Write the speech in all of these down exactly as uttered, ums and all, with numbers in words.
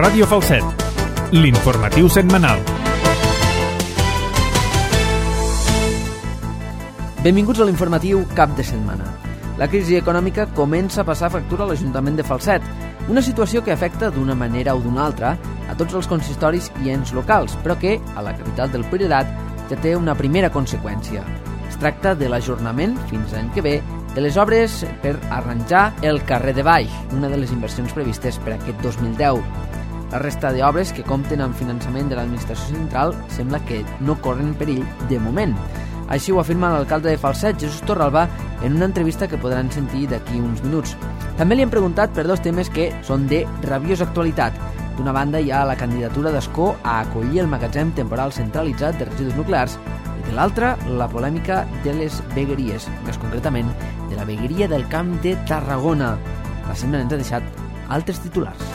Ràdio Falset, l'informatiu setmanal. Benvinguts a l'informatiu cap de setmana. La crisi econòmica comença a passar factura a l'Ajuntament de Falset, una situació que afecta d'una manera o d'una altra a tots els consistoris i ens locals, però que, a la capital del Priorat, ja té una primera conseqüència. Es tracta de l'ajornament, fins l'any que ve, de les obres per arranjar el carrer de Baix, una de les inversions previstes per aquest dos mil deu. La resta d'obres que compten amb finançament de l'administració central sembla que no corren perill de moment. Així ho afirma l'alcalde de Falset, Jesús Torralba, en una entrevista que podran sentir d'aquí uns minuts. També li hem preguntat per dos temes que són de rabiosa actualitat. D'una banda hi ha la candidatura d'Escó a acollir el magatzem temporal centralitzat de residus nuclears i de l'altra, la polèmica de les vegueries, més concretament de la vegueria del Camp de Tarragona. La setmana ens ha deixat altres titulars.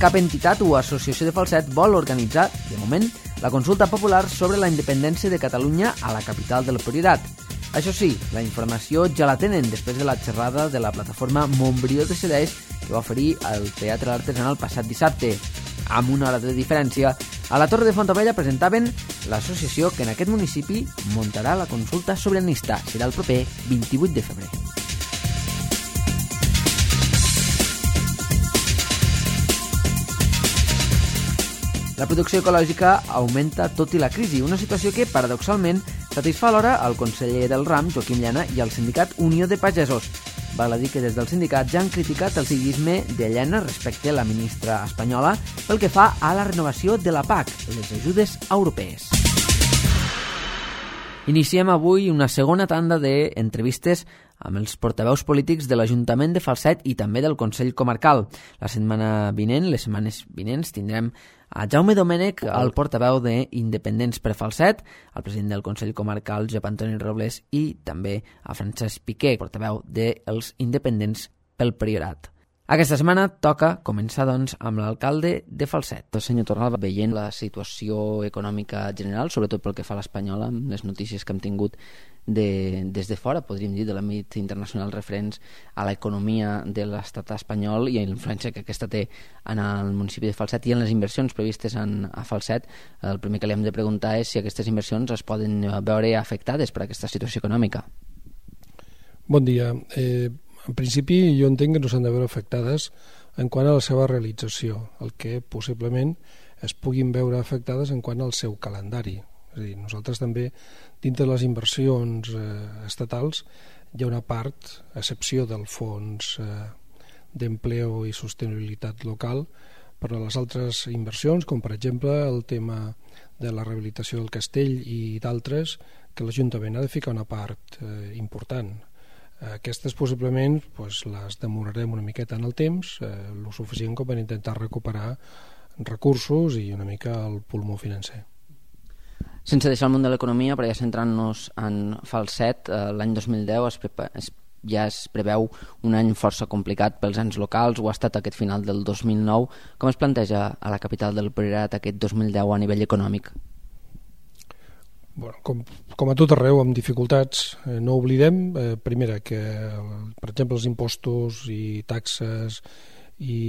Cap entitat o associació de Falset vol organitzar, de moment, la consulta popular sobre la independència de Catalunya a la capital del Priorat. Això sí, la informació ja la tenen després de la xerrada de la plataforma Montbrió decideix que va oferir al Teatre Artesanal passat dissabte. Amb una hora de diferència, a la Torre de Fontaubella presentaven l'associació que en aquest municipi muntarà la consulta sobiranista. Serà el proper vint-i-vuit de febrer. La producció ecològica augmenta tot i la crisi, una situació que, paradoxalment, satisfà alhora el conseller del ram, Joaquim Llana, i el sindicat Unió de Pagesos. Val a dir que des del sindicat ja han criticat el seguisme de Llana respecte a la ministra espanyola pel que fa a la renovació de la P A C, les ajudes europees. Iniciem avui una segona tanda d'entrevistes amb els portaveus polítics de l'Ajuntament de Falset i també del Consell Comarcal. La setmana vinent, les setmanes vinents, tindrem a Jaume Domènech, el portaveu d'Independents per Falset, el president del Consell Comarcal, Josep Antoni Robles, i també a Francesc Piqué, portaveu dels Independents pel Priorat. Aquesta setmana toca començar, doncs, amb l'alcalde de Falset. El senyor Torralba, veient la situació econòmica general, sobretot pel que fa a l'espanyola, amb les notícies que hem tingut de, des de fora, podríem dir, de l'àmbit internacional referents a l'economia de l'estat espanyol i a la influència que aquesta té en el municipi de Falset i en les inversions previstes en, a Falset, el primer que li hem de preguntar és si aquestes inversions es poden veure afectades per aquesta situació econòmica. Bon dia. Eh... En principi, jo entenc que no s'han de veure afectades en quant a la seva realització, el que possiblement es puguin veure afectades en quant al seu calendari. És a dir, nosaltres també, dintre de les inversions eh, estatals, hi ha una part, a excepció del fons eh, d'empleo i sostenibilitat local, però les altres inversions, com per exemple el tema de la rehabilitació del castell i d'altres, que l'Ajuntament ha de ficar una part eh, important. Aquestes possiblement pues, les demorarem una miqueta en el temps, eh, el suficient com per intentar recuperar recursos i una mica el pulmó financer. Sense deixar el món de l'economia, però ja centrant-nos en Falset, eh, l'any dos mil deu es, prepa, es, ja es preveu un any força complicat pels ens locals, ho ha estat aquest final del dos mil nou. Com es planteja a la capital del Priorat aquest dos mil deu a nivell econòmic? Bueno, com, com a tot arreu, amb dificultats, eh, no oblidem, eh, primera, que per exemple els impostos i taxes i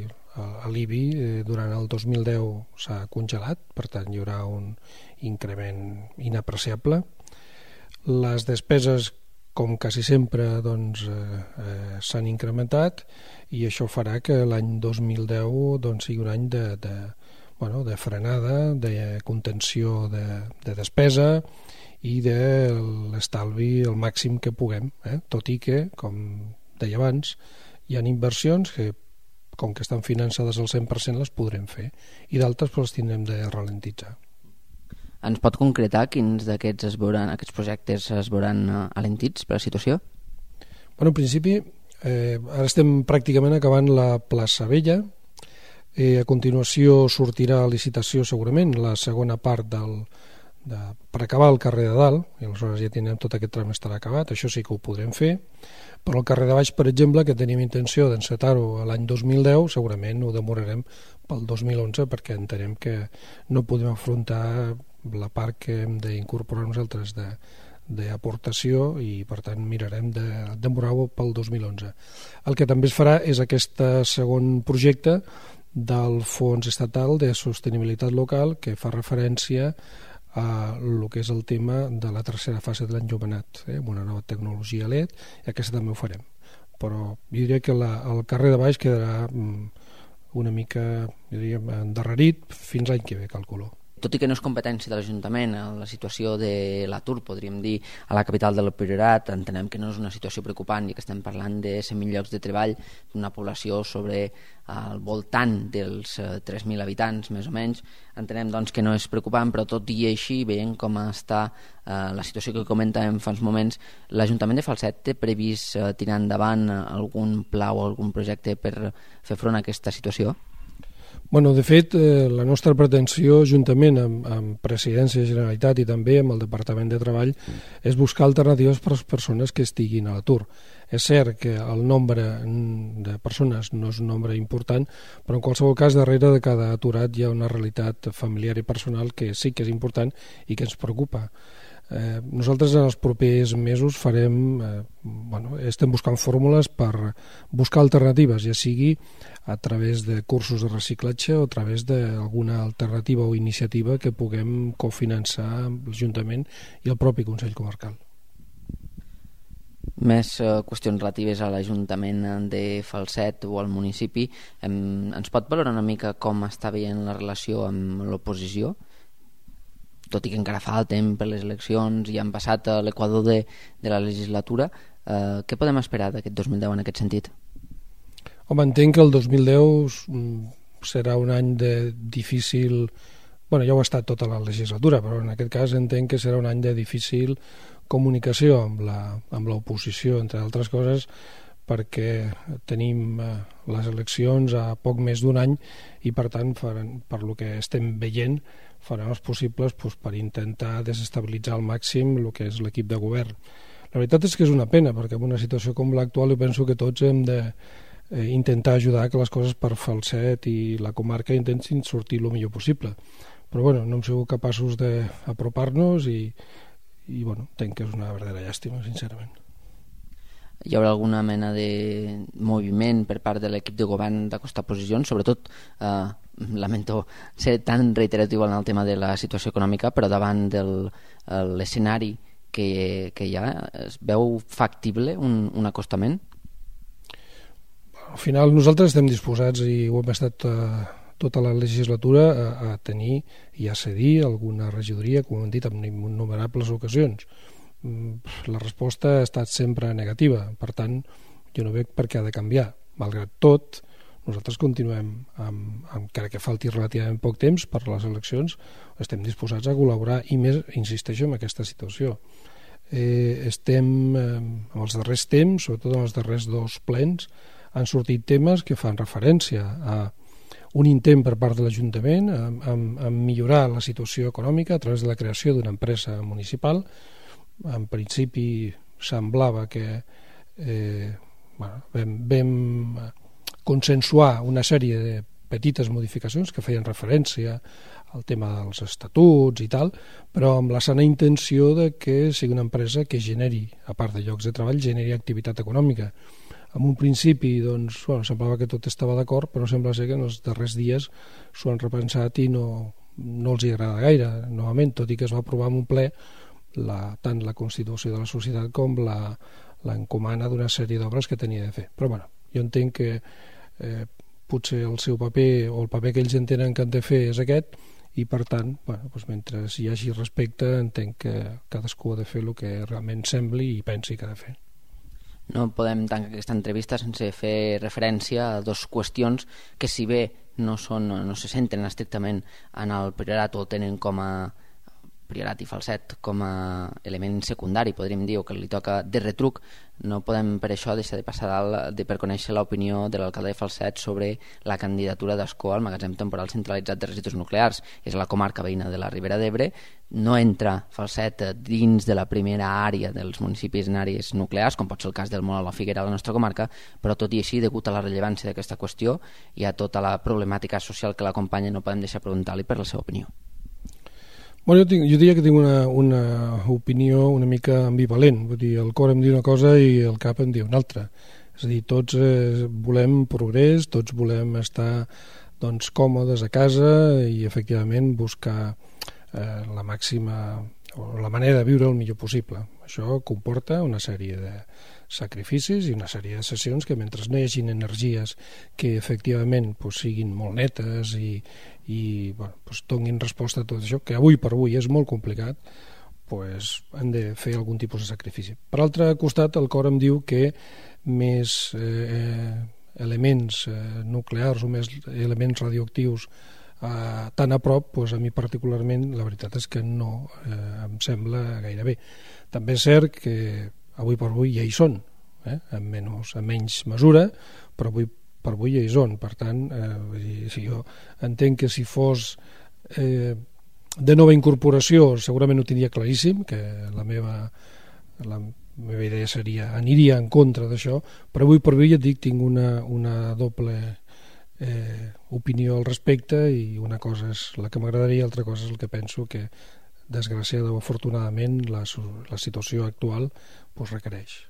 eh, l'I B I eh, durant el dos mil deu s'ha congelat, per tant hi haurà un increment inapreciable. Les despeses, com quasi sempre, doncs, eh, eh, s'han incrementat i això farà que l'any dos mil deu doncs, sigui un any de... de Bueno, de frenada, de contenció de, de despesa i de l'estalvi el màxim que puguem, eh? Tot i que, com deia abans, hi ha inversions que, com que estan finançades al cent per cent, les podrem fer, i d'altres pues, les tindrem de ralentitzar. Ens pot concretar quins d'aquests es veuran, aquests projectes es veuran alentits per la situació? Bueno, en principi, eh, ara estem pràcticament acabant la plaça Vella. Eh, a continuació sortirà a licitació segurament la segona part del, de, per acabar el carrer de dalt, i aleshores ja tindrem tot aquest tram estarà acabat, això sí que ho podrem fer, però el carrer de baix, per exemple, que tenim intenció d'encetar-ho l'any dos mil deu, segurament ho demorarem pel dos mil onze perquè entenem que no podem afrontar la part que hem d'incorporar nosaltres de, d'aportació i per tant mirarem de demorar-ho pel dos mil onze. El que també es farà és aquest segon projecte del Fons Estatal de Sostenibilitat Local que fa referència a el que és el tema de la tercera fase de l'enjovenat, eh, amb una nova tecnologia L E D, i aquesta també ho farem. Però jo diria que la, el carrer de baix quedarà una mica, jo diria, endarrerit fins l'any que ve, calculo. Tot i que no és competència de l'Ajuntament, la situació de l'atur, podríem dir, a la capital del Priorat, entenem que no és una situació preocupant i que estem parlant de cent mil llocs de treball, d'una població sobre al voltant dels tres mil habitants, més o menys. Entenem doncs, que no és preocupant, però tot i així, veient com està eh, la situació que comentàvem fa uns moments, l'Ajuntament de Falset té previst eh, tirar endavant algun pla o algun projecte per fer front a aquesta situació? Bueno, de fet, eh, la nostra pretensió, juntament amb, amb Presidència de Generalitat i també amb el Departament de Treball, mm. és buscar alternatives per a les persones que estiguin a l'atur. És cert que el nombre de persones no és un nombre important, però en qualsevol cas, darrere de cada aturat hi ha una realitat familiar i personal que sí que és important i que ens preocupa. Eh, nosaltres en els propers mesos farem, eh, bueno, estem buscant fórmules per buscar alternatives, ja sigui a través de cursos de reciclatge o a través d'alguna alternativa o iniciativa que puguem cofinançar amb l'Ajuntament i el propi Consell Comarcal. Més eh, qüestions relatives a l'Ajuntament de Falset o al municipi. Em, ens pot valorar una mica com està veient la relació amb l'oposició? Tot i que encara falten per les eleccions i han passat a l'equador de, de la legislatura, eh, què podem esperar d'aquest dos mil deu en aquest sentit? Home, entenc que el dos mil deu serà un any de difícil... Bueno, ja ho ha estat tota la legislatura, però en aquest cas entenc que serà un any de difícil comunicació amb la, amb l'oposició, entre altres coses, perquè tenim eh, les eleccions a poc més d'un any i, per tant, faran, per lo que estem veient, faran els possibles doncs, per intentar desestabilitzar al màxim el que és l'equip de govern. La veritat és que és una pena, perquè en una situació com l'actual jo penso que tots hem de eh, intentar ajudar que les coses per Falset i la comarca intentin sortir el millor possible. Però bueno, no hem sigut capaços d'apropar-nos i, i bueno, entenc que és una verdadera llàstima, sincerament. Hi haurà alguna mena de moviment per part de l'equip de govern d'acostar posicions, sobretot eh, lamento ser tan reiteratiu en el tema de la situació econòmica, però davant de l'escenari que, que hi ha, es veu factible un, un acostament? Al final nosaltres estem disposats, i ho hem estat eh, tota la legislatura, a, a tenir i a cedir alguna regidoria, com hem dit en innumerables ocasions. La resposta ha estat sempre negativa, per tant jo no veig per què ha de canviar. Malgrat tot, nosaltres continuem amb, amb encara que falti relativament poc temps per les eleccions, estem disposats a col·laborar i més, insisteixo, en aquesta situació. Eh, estem eh, en els darrers temps, sobretot en els darrers dos plens, han sortit temes que fan referència a un intent per part de l'Ajuntament a, a, a millorar la situació econòmica a través de la creació d'una empresa municipal. En principi semblava que eh, bueno, vam, vam consensuar una sèrie de petites modificacions que feien referència al tema dels estatuts i tal, però amb la sana intenció de que sigui una empresa que generi, a part de llocs de treball, generi activitat econòmica. En un principi doncs, bueno, semblava que tot estava d'acord, però sembla ser que en els darrers dies s'ho han repensat i no, no els hi agrada gaire, novament, tot i que es va aprovar en un ple La, tant la constitució de la societat com la, l'encomana d'una sèrie d'obres que tenia de fer. Però bueno, jo entenc que eh, potser el seu paper o el paper que ells entenen que han de fer és aquest i per tant, bueno, doncs mentre hi hagi respecte entenc que cadascú ha de fer el que realment sembli i pensi que ha de fer. No podem tancar aquesta entrevista sense fer referència a dues qüestions que si bé no, són, no se centren estrictament en el priorat o tenen com a Priorat i Falset com a element secundari, podríem dir, o que li toca de retruc, no podem per això deixar de passar dalt de per conèixer l'opinió de l'alcalde de Falset sobre la candidatura d'Ascó al magatzem temporal centralitzat de residus nuclears. És la comarca veïna de la Ribera d'Ebre, no entra Falset dins de la primera àrea dels municipis en àrees nuclears, com pot ser el cas del Mola o la Figuera a la nostra comarca, però tot i així, degut a la rellevància d'aquesta qüestió i a tota la problemàtica social que l'acompanya, no podem deixar preguntar-li per la seva opinió. Bueno, jo, tinc, jo diria que tinc una, una opinió una mica ambivalent. Vull dir, el cor em diu una cosa i el cap em diu una altra. És a dir, tots eh, volem progrés, tots volem estar doncs, còmodes a casa i efectivament buscar eh, la màxima o la manera de viure el millor possible. Això comporta una sèrie de sacrificis i una sèrie de sessions que mentre no hi hagi energies que efectivament pues, siguin molt netes i, i bueno, pues, donin resposta a tot això, que avui per avui és molt complicat, pues, han de fer algun tipus de sacrifici. Per altre costat, el cor em diu que més eh, elements eh, nuclears o més elements radioactius eh, tan a prop, pues, a mi particularment la veritat és que no eh, em sembla gaire bé. També és cert que avui per avui ja hi són, eh? en, menys, en menys mesura, però avui per avui ja hi són. Per tant, eh, si jo entenc que si fos eh, de nova incorporació segurament ho tindria claríssim, que la meva, la meva idea seria, aniria en contra d'això, però avui per avui ja et dic, tinc una, una doble eh, opinió al respecte i una cosa és la que m'agradaria, altra cosa és el que penso que desgraciada o afortunadament la, la situació actual pues, requereix.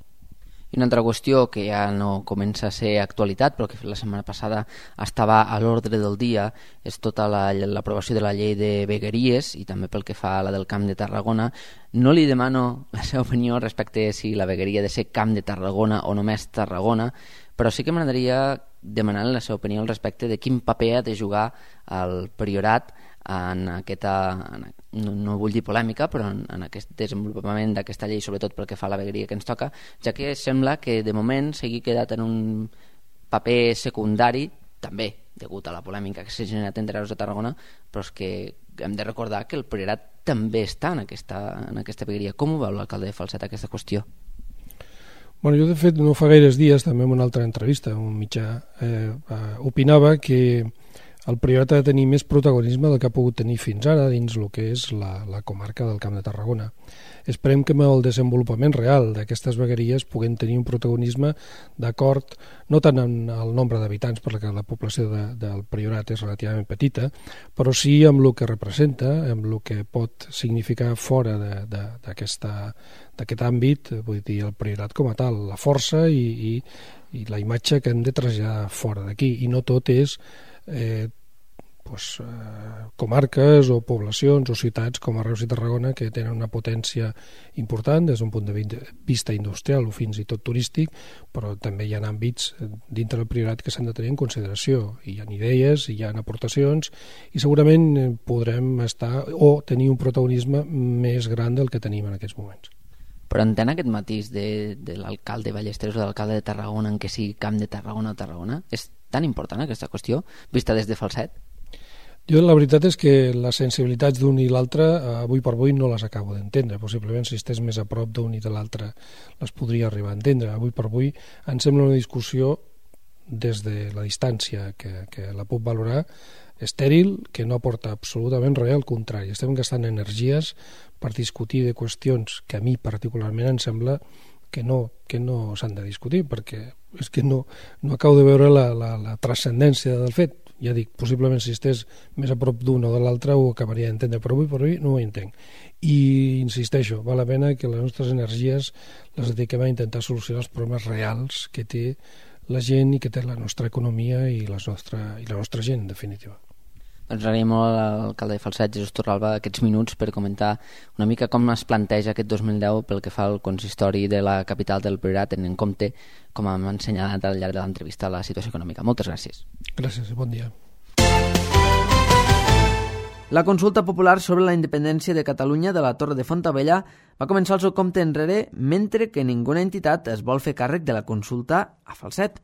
I una altra qüestió que ja no comença a ser actualitat, però que la setmana passada estava a l'ordre del dia, és tota l'aprovació la, de la llei de vegueries i també pel que fa a la del Camp de Tarragona. No li demano la seva opinió respecte a si la vegueria ha de ser Camp de Tarragona o només Tarragona, però sí que m'agradaria demanar la seva opinió al respecte de quin paper ha de jugar el Priorat en aquesta, en, no, no vull dir polèmica, però en, en aquest desenvolupament d'aquesta llei, sobretot pel que fa a la vegueria que ens toca, ja que sembla que de moment s'hagi quedat en un paper secundari, també degut a la polèmica que s'ha generat entre Reus de Tarragona, però és que hem de recordar que el Priorat també està en aquesta, en aquesta vegueria. Com ho veu l'alcalde de Falset aquesta qüestió? Bueno, jo de fet no fa gaires dies, també en una altra entrevista, un mitjà, eh, eh, opinava que el Priorat ha de tenir més protagonisme del que ha pogut tenir fins ara dins el que és la, la comarca del Camp de Tarragona. Esperem que amb el desenvolupament real d'aquestes vegueries puguem tenir un protagonisme d'acord no tant en el nombre d'habitants, perquè la població de, del Priorat és relativament petita, però sí amb el que representa, amb el que pot significar fora d'aquest àmbit, vull dir, el Priorat com a tal, la força i, i, i la imatge que hem de traslladar fora d'aquí, i no tot és Eh, pues, eh, comarques o poblacions o ciutats com a Reus i Tarragona que tenen una potència important des d'un punt de vista industrial o fins i tot turístic, però també hi ha àmbits dintre del Priorat que s'han de tenir en consideració. Hi ha idees, hi ha aportacions i segurament podrem estar o tenir un protagonisme més gran del que tenim en aquests moments. Però entén aquest matís de, de l'alcalde Ballesteros o de l'alcalde de Tarragona en què sigui Camp de Tarragona o Tarragona? És tan important aquesta qüestió, vista des de Falset? Jo la veritat és que les sensibilitats d'un i l'altre avui per avui no les acabo d'entendre. Possiblement si estés més a prop d'un i de l'altre les podria arribar a entendre. Avui per avui em sembla una discussió des de la distància que, que la puc valorar estèril, que no aporta absolutament res, al contrari. Estem gastant energies per discutir de qüestions que a mi particularment em sembla que no, que no s'han de discutir, perquè és que no, no acabo de veure la, la, la transcendència del fet. Ja dic, possiblement si estés més a prop d'un o de l'altre ho acabaria d'entendre, però avui per avui no ho entenc. I insisteixo, val la pena que les nostres energies les dediquem a intentar solucionar els problemes reals que té la gent i que té la nostra economia i, les nostra, i la nostra gent, en definitiva. Doncs agraïm molt a l'alcalde de Falset, Jesús Torralba, aquests minuts per comentar una mica com es planteja aquest dos mil deu pel que fa al consistori de la capital del Priorat, tenint en compte, com hem ensenyat al llarg de l'entrevista, la situació econòmica. Moltes gràcies. Gràcies i bon dia. La consulta popular sobre la independència de Catalunya de la Torre de Fontaubella va començar el seu compte enrere mentre que ninguna entitat es vol fer càrrec de la consulta a Falset.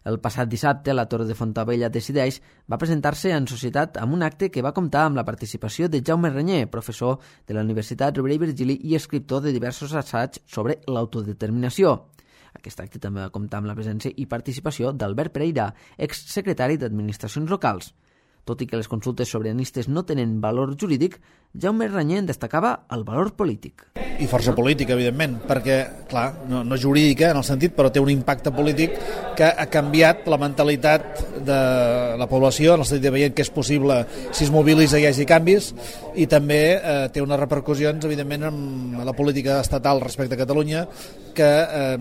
El passat dissabte, la Torre de Fontaubella Decideix va presentar-se en societat amb un acte que va comptar amb la participació de Jaume Reñé, professor de la Universitat Rovira i Virgili i escriptor de diversos assaigs sobre l'autodeterminació. Aquest acte també va comptar amb la presència i participació d'Albert Pereira, exsecretari d'Administracions Locals. Tot i que les consultes sobiranistes no tenen valor jurídic, Jaume Reñé en destacava el valor polític. I força política, evidentment, perquè clar, no, no jurídica en el sentit, però té un impacte polític que ha canviat la mentalitat de la població, en el sentit de veient que és possible, si es mobilitza i hi hagi canvis, i també eh, té unes repercussions, evidentment, en la política estatal respecte a Catalunya, que eh,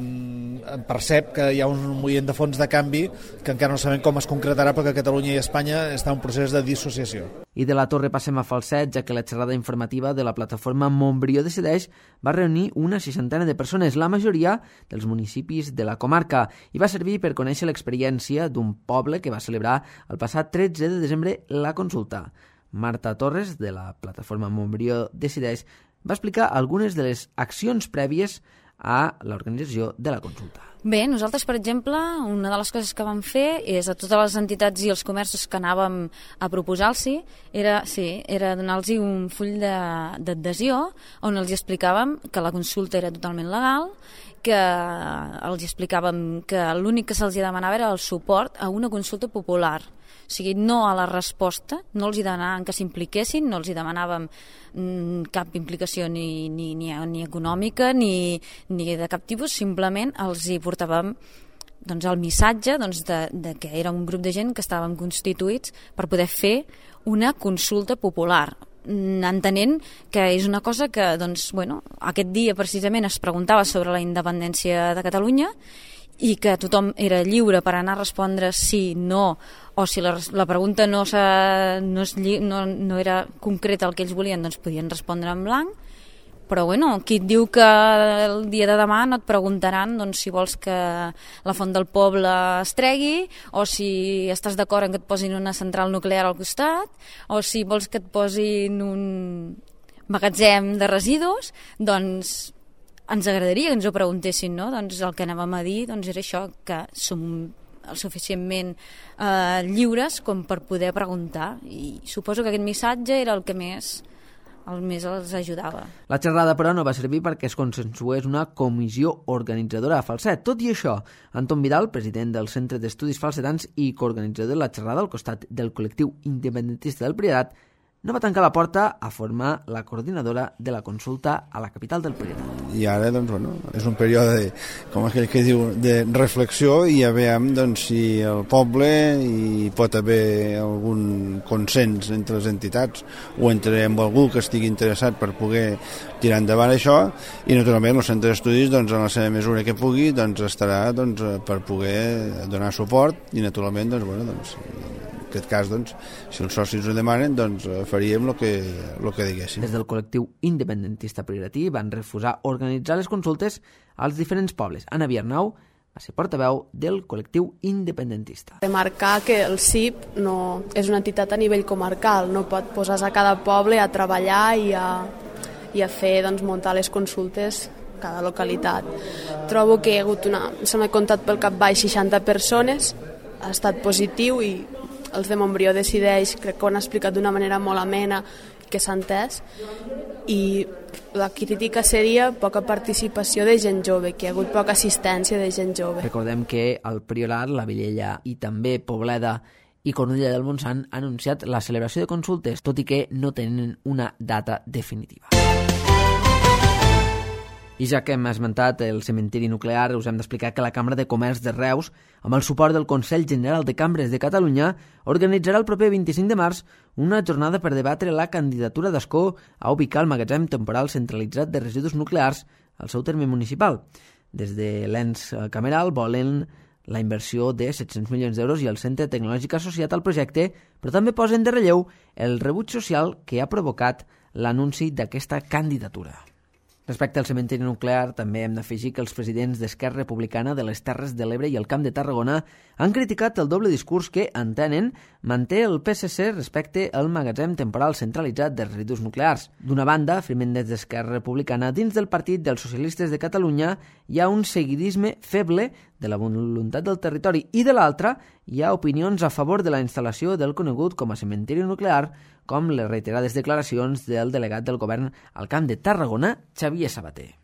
percep que hi ha un moviment de fons de canvi que encara no sabem com es concretarà, perquè Catalunya i Espanya estan en un procés de dissociació. I de la Torre passem a Falset, ja que la xerrada informativa de la plataforma Montbrió Decideix va reunir una seixantena de persones, la majoria dels municipis de la comarca, i va servir per conèixer l'experiència d'un poble que va celebrar el passat tretze de desembre la consulta. Marta Torres, de la plataforma Montbrió Decideix, va explicar algunes de les accions prèvies a l'organització de la consulta. Bé, nosaltres, per exemple, una de les coses que vam fer és a totes les entitats i els comerços que anàvem a proposar-los era, sí, era donar-los un full d'adhesió on els explicàvem que la consulta era totalment legal, que els explicàvem que l'únic que se'ls demanava era el suport a una consulta popular. O sigui, no a la resposta, no els hi demanàvem que s'impliquessin, no els hi demanàvem mm, cap implicació ni, ni, ni, ni econòmica ni, ni de cap tipus, simplement els hi portàvem doncs, el missatge doncs, de, de que era un grup de gent que estàvem constituïts per poder fer una consulta popular, entenent que és una cosa que doncs, bueno, aquest dia precisament es preguntava sobre la independència de Catalunya i que tothom era lliure per anar a respondre sí, no, o si la, la pregunta no, no, és, no, no era concreta el que ells volien, doncs podien respondre en blanc. Però bueno, qui et diu que el dia de demà no et preguntaran doncs, si vols que la font del poble es tregui, o si estàs d'acord en que et posin una central nuclear al costat, o si vols que et posin un magatzem de residus, doncs ens agradaria que ens ho preguntessin, no? Doncs el que anàvem a dir doncs, era això, que som suficientment eh, lliures com per poder preguntar, i suposo que aquest missatge era el que més el més els ajudava. La xerrada, però, no va servir perquè es consensués una comissió organitzadora a Falset. Tot i això, Anton Vidal, president del Centre d'Estudis Falsetans i coorganitzador de la xerrada al costat del col·lectiu independentista del Priorat, no va tancar la porta a formar la coordinadora de la consulta a la capital del Priorat. I ara, doncs, bueno, és un període, de, com aquell que diu, de reflexió, i ja veiem doncs, si el poble hi pot haver algun consens entre les entitats o entre amb algú que estigui interessat per poder tirar endavant això, i naturalment el centre d'estudis, doncs, en la seva mesura que pugui, doncs, estarà doncs, per poder donar suport, i naturalment, doncs, bueno, doncs, en aquest cas, doncs, si els socis ho demanen, doncs faríem el que, el que diguéssim. Des del col·lectiu independentista prioratí van refusar organitzar les consultes als diferents pobles. Anna Viernau va ser portaveu del col·lectiu independentista. Remarcar que el C I P no és una entitat a nivell comarcal, no pot posar-se a cada poble a treballar i a, i a fer, doncs, muntar les consultes cada localitat. Trobo que hi ha hagut una... se m'ha comptat pel cap baix seixanta persones, ha estat positiu, i els de Montbrió Decideix crec que ho han explicat d'una manera molt amena que s'ha entès, i la crítica seria poca participació de gent jove, que hi ha hagut poca assistència de gent jove. Recordem que el Priorat, la Vilella i també Pobleda i Cornudella del Montsant han anunciat la celebració de consultes, tot i que no tenen una data definitiva. I ja que hem esmentat el cementiri nuclear, us hem d'explicar que la Cambra de Comerç de Reus, amb el suport del Consell General de Cambres de Catalunya, organitzarà el proper vint-i-cinc de març una jornada per debatre la candidatura d'Ascó a ubicar el magatzem temporal centralitzat de residus nuclears al seu terme municipal. Des de l'ens cameral volen la inversió de set-cents milions d'euros i el centre tecnològic associat al projecte, però també posen de relleu el rebuig social que ha provocat l'anunci d'aquesta candidatura. Respecte al cementiri nuclear, també hem d'afegir que els presidents d'Esquerra Republicana de les Terres de l'Ebre i el Camp de Tarragona han criticat el doble discurs que, entenen, manté el P S C respecte al magatzem temporal centralitzat de residus nuclears. D'una banda, afirmen des d'Esquerra Republicana, dins del Partit dels Socialistes de Catalunya hi ha un seguidisme feble de la voluntat del territori, i de l'altra hi ha opinions a favor de la instal·lació del conegut com a cementiri nuclear, com les reiterades declaracions del delegat del govern al Camp de Tarragona, Xavier Sabater.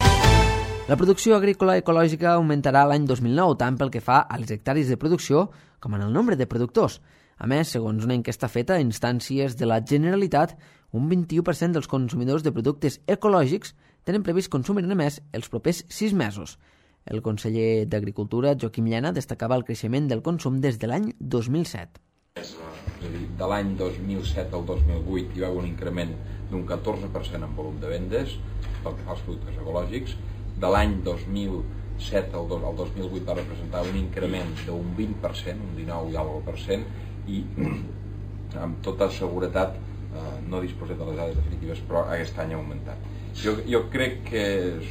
La producció agrícola ecològica augmentarà l'any dos mil nou, tant pel que fa a les hectàrees de producció com en el nombre de productors. A més, segons una enquesta feta a instàncies de la Generalitat, un vint-i-u per cent dels consumidors de productes ecològics tenen previst consumir-ne més els propers sis mesos. El conseller d'Agricultura, Joaquim Llena, destacava el creixement del consum des de l'any dos mil set. És a dir, de l'any dos mil set al dos mil vuit hi va haver un increment d'un catorze per cent en volum de vendes pel que fa als productes ecològics. De l'any dos mil set al dos mil vuit va representar un increment d'un vint per cent, un dinou i alguna per cent, i amb tota seguretat eh, no disposem de les dades definitives, però aquest any ha augmentat. Jo, jo crec que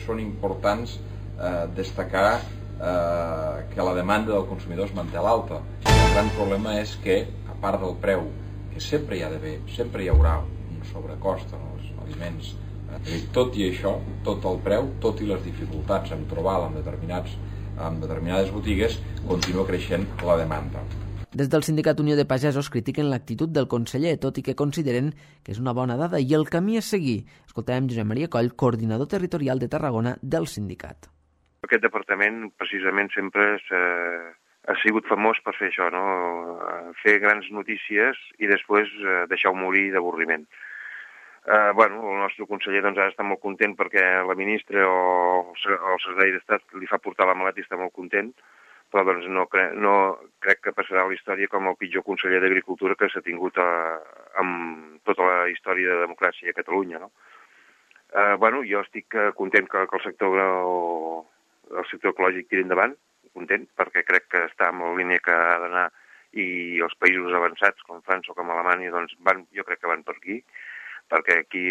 són importants eh, destacar eh, que la demanda del consumidor es manté a l'alta. El gran problema és que, a part del preu, que sempre hi ha d'haver, sempre hi haurà un sobrecost en els aliments, eh, tot i això, tot el preu, tot i les dificultats en trobar-la en, determinats, en determinades botigues, continua creixent la demanda. Des del Sindicat Unió de Pagesos critiquen l'actitud del conseller, tot i que consideren que és una bona dada i el camí a seguir. Escoltem Josep Maria Coll, coordinador territorial de Tarragona del sindicat. Aquest departament precisament sempre ha sigut famós per fer això, no? Fer grans notícies i després deixar-ho morir d'avorriment. Eh, bueno, el nostre conseller doncs, ha d'estar molt content perquè la ministra o el secretari d'Estat li fa portar la maleta i està molt content, però doncs, no, cre no crec que passarà a la història com el pitjor conseller d'Agricultura que s'ha tingut a, amb tota la història de democràcia a Catalunya. No? Eh, bueno, jo estic content que, que el sector el sector ecològic tiri endavant, content, perquè crec que està en la línia que ha d'anar i els països avançats, com França o com Alemanya, doncs van, jo crec que van per aquí, perquè aquí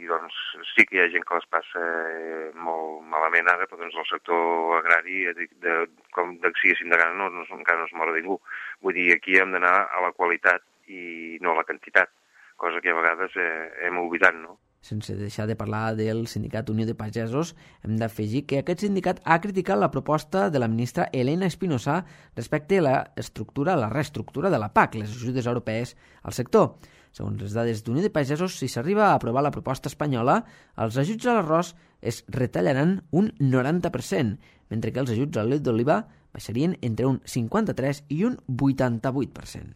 doncs, sí que hi ha gent que les passa eh, molt malament ara, però doncs, el sector agrari, de, de, com de, siguéssim de gana, no, no, encara no es mor ningú. Vull dir, aquí hem d'anar a la qualitat i no a la quantitat, cosa que a vegades eh, hem oblidat, no? Sense deixar de parlar del Sindicat Unió de Pagesos, hem d'afegir que aquest sindicat ha criticat la proposta de la ministra Elena Espinosa respecte a la estructura, la reestructura de la P A C, les ajudes europees al sector. Segons les dades d'Unió de Pagesos, si s'arriba a aprovar la proposta espanyola, els ajuts a l'arròs es retallaran un noranta per cent, mentre que els ajuts a l'oli d'oliva baixarien entre un cinquanta-tres i un vuitanta-vuit per cent.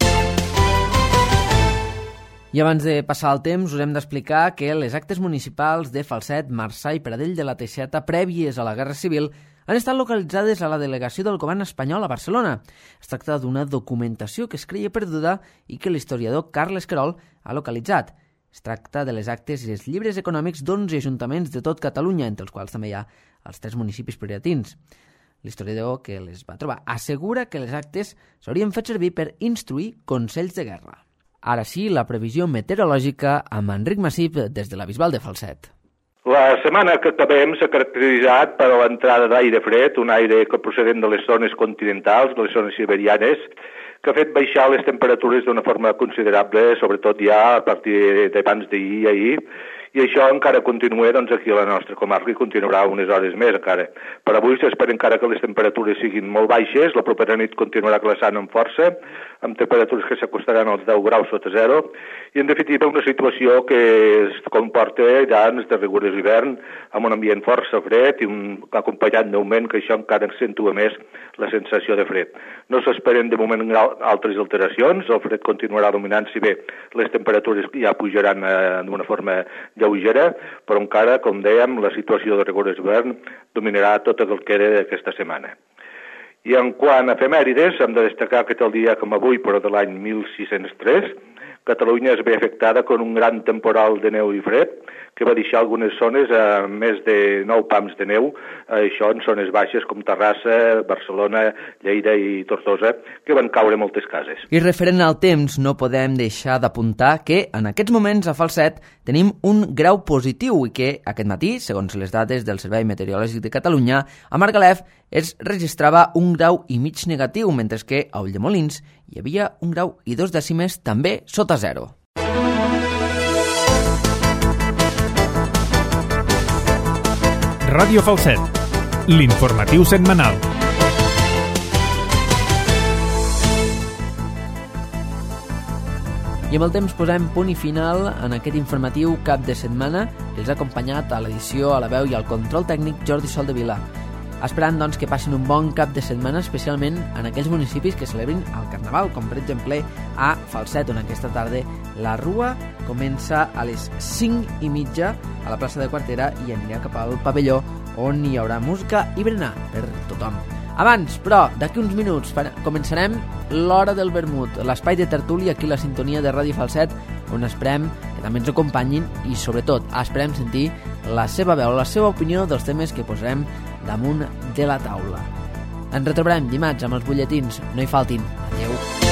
I abans de passar el temps, us hem d'explicar que les actes municipals de Falset, Marçà i Pradell de la Teixeta prèvies a la Guerra Civil han estat localitzades a la delegació del govern espanyol a Barcelona. Es tracta d'una documentació que es creia perduda i que l'historiador Carles Querol ha localitzat. Es tracta de les actes i els llibres econòmics d'onze ajuntaments de tot Catalunya, entre els quals també hi ha els tres municipis prioritins. L'historiador que les va trobar assegura que les actes s'haurien fet servir per instruir consells de guerra. Ara sí, la previsió meteorològica amb Enric Massip des de la Bisbal de Falset. La setmana que acabem s'ha caracteritzat per l'entrada d'aire fred, un aire que procedent de les zones continentals, de les zones siberianes, que ha fet baixar les temperatures d'una forma considerable, sobretot ja a partir d'abans d'ahir i ahir, i això encara continua doncs, aquí a la nostra comarca i continuarà unes hores més encara. Per avui s'espera encara que les temperatures siguin molt baixes, la propera nit continuarà glaçant amb força, amb temperatures que s'acostaran als deu graus sota zero, i en definitiva una situació que es comporta ja en de rigorós hivern, amb un ambient força fred i un acompanyat d'augment que això encara accentua més la sensació de fred. No s'esperen de moment altres alteracions, el fred continuarà dominant, si bé les temperatures ja pujaran eh, d'una forma lleugera, però encara, com dèiem, la situació de rigorós hivern dominarà tot el que era d'aquesta setmana. I en quant a efemèrides, hem de destacar que tal dia com avui, però de l'any mil sis-cents tres, Catalunya es ve afectada per un gran temporal de neu i fred que va deixar algunes zones a més de nou pams de neu, això en zones baixes com Terrassa, Barcelona, Lleida i Tortosa, que van caure moltes cases. I referent al temps, no podem deixar d'apuntar que en aquests moments a Falset tenim un grau positiu i que aquest matí, segons les dades del Servei Meteorològic de Catalunya, a Margalef es registrava un grau i mig negatiu, mentre que a Ulldemolins hi havia un grau i dos dècimes també sota zero. Ràdio Falset, l'informatiu setmanal. I amb el temps posem punt i final en aquest informatiu cap de setmana que els ha acompanyat a l'edició, a la veu i al control tècnic Jordi Soldevila. esperant doncs, que passin un bon cap de setmana, especialment en aquells municipis que celebrin el Carnaval, com per exemple a Falset, on aquesta tarda la rua comença a les cinc i mitja a la plaça de Quartera i anirà cap al pavelló, on hi haurà música i berenar per tothom. Abans, però, d'aquí uns minuts començarem l'Hora del Vermut, l'espai de tertúlia aquí a la sintonia de Ràdio Falset, on esperem que també ens acompanyin i, sobretot, esperem sentir la seva veu, la seva opinió dels temes que posarem damunt de la taula. Ens retrobarem dimarts amb els butlletins. No hi faltin. Adéu.